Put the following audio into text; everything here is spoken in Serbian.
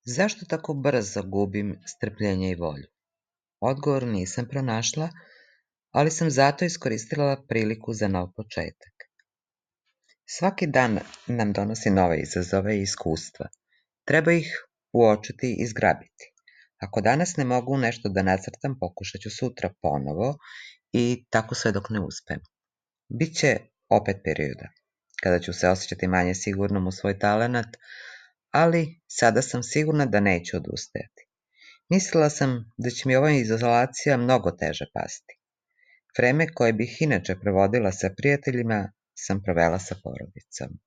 Zašto tako brzo gubim strpljenje i volju? Odgovor nisam pronašla, ali sam zato iskoristila priliku za nov početak. Svaki dan nam donosi nove izazove i iskustva. Treba ih uočiti i zgrabiti. Ako danas ne mogu nešto da nacrtam, pokušat ću sutra ponovo i tako sve dok ne uspem. Biće opet perioda kada ću se osjećati manje sigurnom u svoj talenat, ali sada sam sigurna da neću odustajati. Mislila sam da će mi ova izolacija mnogo teže pasti. Vreme koje bih inače provodila sa prijateljima sam provela sa porodicom.